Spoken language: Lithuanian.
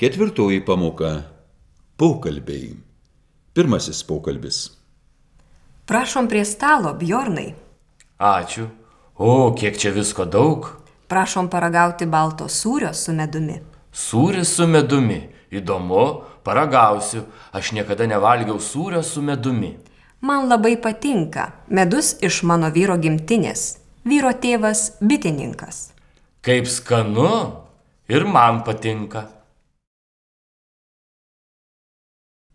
Ketvirtoji pamoka – pokalbiai. Pirmasis pokalbis. Prašom prie stalo, Bjornai. Ačiū. O, kiek čia visko daug. Prašom paragauti balto sūrio su medumi. Sūris su medumi. Įdomu, paragausiu. Aš niekada nevalgiau sūrio su medumi. Man labai patinka. Medus iš mano vyro gimtinės. Vyro tėvas bitininkas. Kaip skanu ir man patinka.